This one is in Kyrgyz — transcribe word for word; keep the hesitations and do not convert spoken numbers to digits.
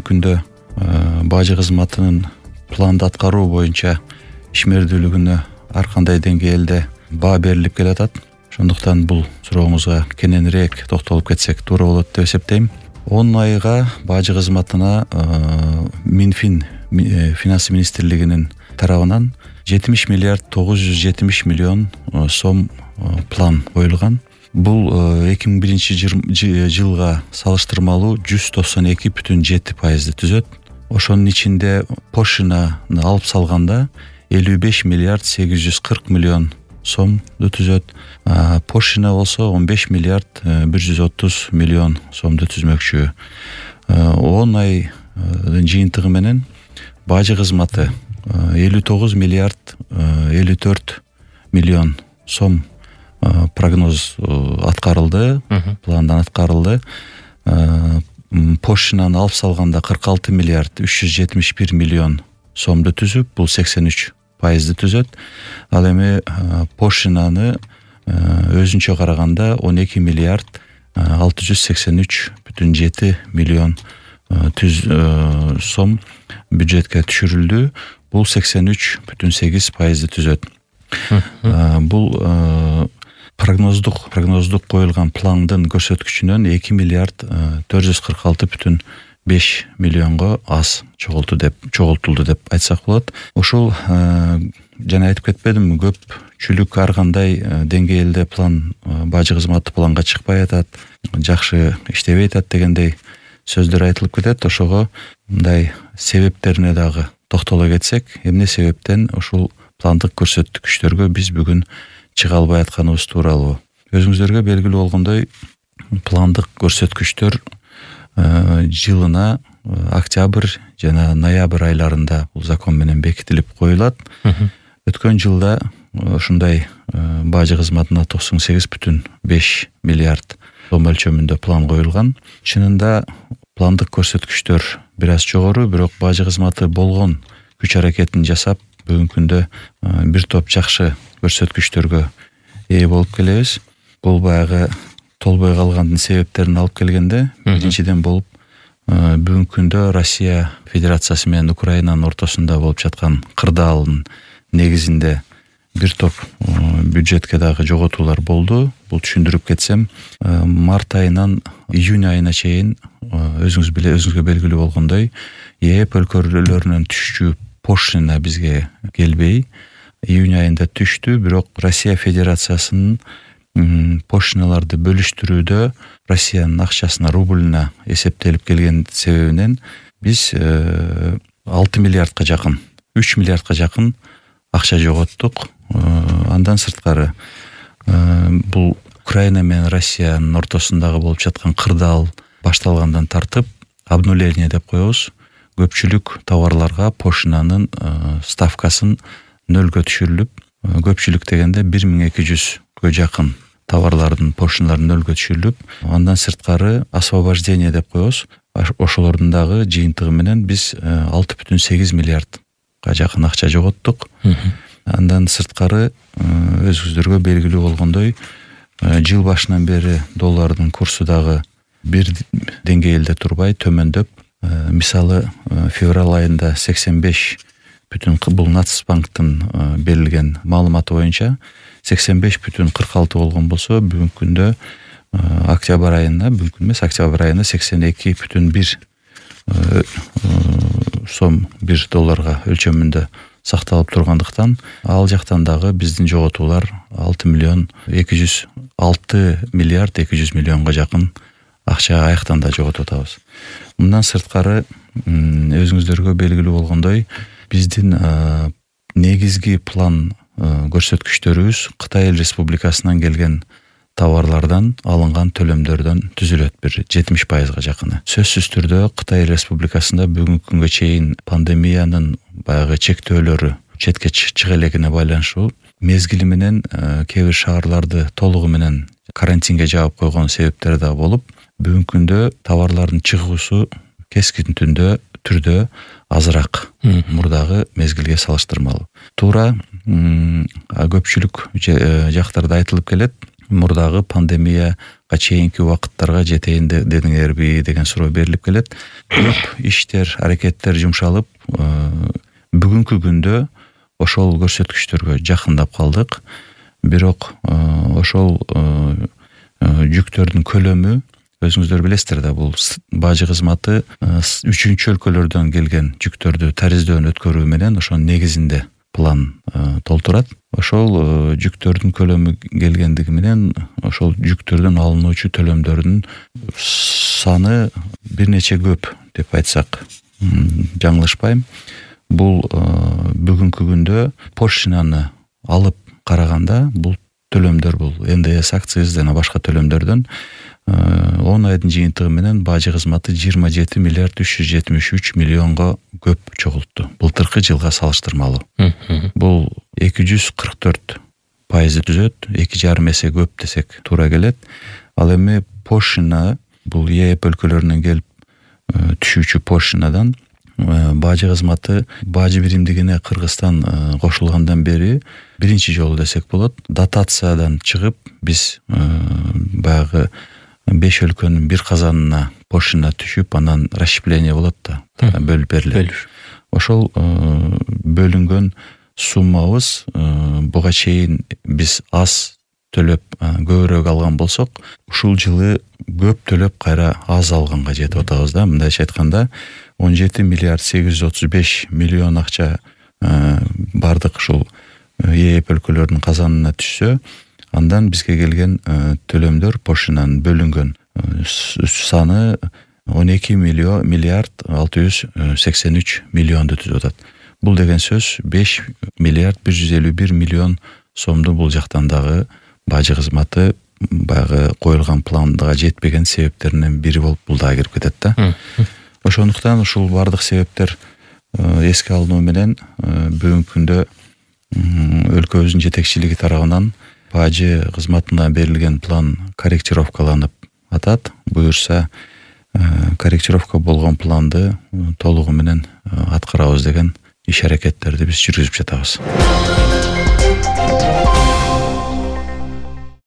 күндө бажы кызматынын планды аткаруу боюнча ишмердүүлүгүнө ар кандай деңгээлде баа берилип келатат. Ошондуктан бул сурооңузга кененирээк токтолуп кетсек туура болот деп эсептейм. он айга бажы кызматына Минфин финансы министрлигинин тарабынан жетимиш миллиард тогуз жүз жетимиш миллион сом план коюлган. Бул эки миң биринчи жылга салыштырмалуу жүз токсон эки бүтүн жети пайызды түзөт. Ошонун ичинде пошинаны алып салганда элүү беш миллиард сегиз жүз кырк миллион сомду түзөт. Пошина болсо он беш миллиард бир жүз отуз миллион сомду түзмөкчү. он айдын жыйынтыгы менен бажы кызматы элүү тогуз миллиард элүү төрт миллион сом прогноз аткарылды, пландан аткарылды. Пошинаны алып салганда кырк алты миллиард үч жүз жетимиш бир миллион сомду түзүп, бул сексен үч пайызды түзөт. Ал эми пошинаны өзүнчө караганда он эки миллиард алты жүз сексен үч бүтүн жети миллион түз сом бюджетке түшүрүлдү. Бул сексен үч бүтүн сегиз пайызды түзөт. Бул прогноздук прогноздук коюлган пландын көрсөткүчүнөн эки миллиард төрт жүз кырк алты бүтүн беш миллионго аз чогулту деп чогултулду деп айтсак болот. Ошол жана айтып кетпедимби, көпчүлүк ар кандай деңгээлде план бажы кызматы планга чыкпай атат, жакшы иштебей атат дегендей сөздөр айтылып кетет. Ошого мындай себептерине дагы токтоло кетсек, эмне себептен ушул пландык көрсөткүчтөргө биз бүгүн чыга албай атканыбыз тууралуу. Өзүңүздөргө белгилүү болгондой, пландык көрсөткүчтөр жылына октябрь жана ноябрь айларында бул закон менен бекитилип коюлат. Өткөн жылда ушундай бажы кызматына токсон сегиз бүтүн беш миллиард сом өлчөмүндө план коюлган. Чынында пландык көрсөткүчтөр бир аз жогору, бирок бажы кызматы болгон күч аракетин жасап бүгүнкү күндө бир топ жакшы көрсөткүчтөргө ээ болуп келебиз. Бул баягы толбой калгандын себептерин алып келгенде, биринчиден болуп бүгүнкү күндө Россия Федерациясы менен Украинанын ортосунда болуп жаткан кырдаалдын негизинде бир топ бюджетке дагы жоготуулар болду. Бул түшүндүрүп кетсем, март айынан июнь айына чейин өзүңүз биле өзүңүзгө белгилүү болгондой, ЕЭП өлкөлөрүнөн түшчү пошина бизге келбей, июнь айында түштү, бирок Россия Федерациясынын пошиналарды бөлүштүрүүдө Россиянын акчасына, рубльна эсептелип келген себебинен биз алты миллиардка жакын, үч миллиардка жакын акча жоготтук. Андан сырткары бул Украина менен Россиянын ортосундагы болуп жаткан кырдаал башталгандан тартып обнуление деп коебуз. Көпчүлүк товарларга пошинанын ставкасын нөлгө түшүрүлүп, көпчүлүк дегенде бир миң эки жүзгө жакын товарлардын пошиналары нөлгө түшүрүлүп, андан сырткары освобождение деп коебуз. Ошолордун дагы жыйынтыгы менен биз алты бүтүн сегиз миллиардга жакын акча жоготтук. Андан сырткары өзүңүздөргө белгилүү болгондой, жыл башынан бери доллардын курсу дагы бир деңгээлде турбай төмөндөп, мисалы февраль айында сексен беш бүтүн бул Нацбанктын берилген маалыматы боюнча сексен беш бүтүн кырк алты болгон болсо, бүгүнкү күндө октябрь айына, бүгүнкү эмес, октябрь айына сексен эки бүтүн бир сом бир долларга өлчөмүндө сакталып тургандыктан, ал жактан дагы биздин жоготуулар алты миллион эки жүз алты миллиард эки жүз миллионго жакын акча аяктан да жоготуп атабыз. Мындан сырткары өзүңүздөргө белгилүү болгондой, биздин негизги план көрсөткүчтөрүбүз Кытай Республикасынан келген товарлардан алынган төлөмдөрдөн түзүлөт, бир жетимиш пайызга жакыны. Сөзсүз түрдө Кытай Республикасында бүгүнкү күнгө чейин пандемиянын баягы чектөөлөрү четке чыга элегине байланыштуу мезгили менен кээ бир шаарларды толугу менен карантинге жаап койгон себептери да болуп, бүгүнкү күндө товарлардын чыгуусу кескин түрдө түрдө азыраак мурдагы мезгилге салыштырмалуу. Туура көпчүлүк жактарда айтылып келет, мурдагы пандемияга чейинки убакыттарга жетейин дедиңерби деген суроо берилип келет. Көп иштер, аракеттер жумшалып, бүгүнкү күндө ошол көрсөткүчтөргө жакындап калдык. Бирок ошол жүктөрдүн көлөмү, өзүңүздөр билесиздер да, бул бажы кызматы үчүнчү өлкөлөрдөн келген жүктөрдү тариздөөдөн өткөрүү менен ошонун негизинде план толтурат. Ошол жүктөрдүн көлөмү келгендиги менен ошол жүктөрдөн алынуучу төлөмдөрдүн саны бир нече көп деп айтсак жаңылышпайм. Бул бүгүнкү күндө поштаны алып караганда бул төлөмдөр, бул эн дэ эс, акциз жана башка төлөмдөрдөн он айдын жыйынтыгы менен бажы кызматы жыйырма жети миллиард үч жүз жетимиш үч миллионго көп чогултту. Былтыркы жылга салыштырмалуу. Бул эки жүз кырк төрт пайызды түзөт, эки жарым эсе көп десек туура келет. Ал эми поштана, бул е эп өлкөлөрүнөн келип түшүүчү поштанадан бажы кызматы бажы биримдигине Кыргызстан кошулгандан бери биринчи жолу десек болот. Дотациядан чыгып биз баягы беш өлкөнүн бир казанына поштана түшүп, анан расщепление болот да, бөлүп берилет. Ошол бөлүнгөн суммабыз буга чейин биз аз төлөп көбүрөөк алган болсок, ушул жылы көп төлөп кайра аз алганга жетип атабыз да. Мындайча айтканда он жети миллиард сегиз жүз отуз беш миллион акча бардык ушул е эп өлкөлөрдүн казанына түшсө, андан бизге келген төлөмдөр поштанын бөлүнгөн саны он эки миллиард алты жүз сексен үч миллионду түзүп атат. Бул деген сөз беш миллиард бир жүз элүү бир миллион сомду бул жактан дагы бажы кызматы баягы коюлган планга жетпеген себептеринен бири болуп бул дагы кирип кетет да. Ошондуктан ушул бардык себептер эске алынуу менен бүгүнкү күндө өлкөбүздүн жетекчилиги тарабынан бажы кызматына берилген план корректировкаланып атат. Буюрса корректировка болгон планды толугу менен аткарабыз деген иш аракеттерди биз жүргүзүп жатабыз.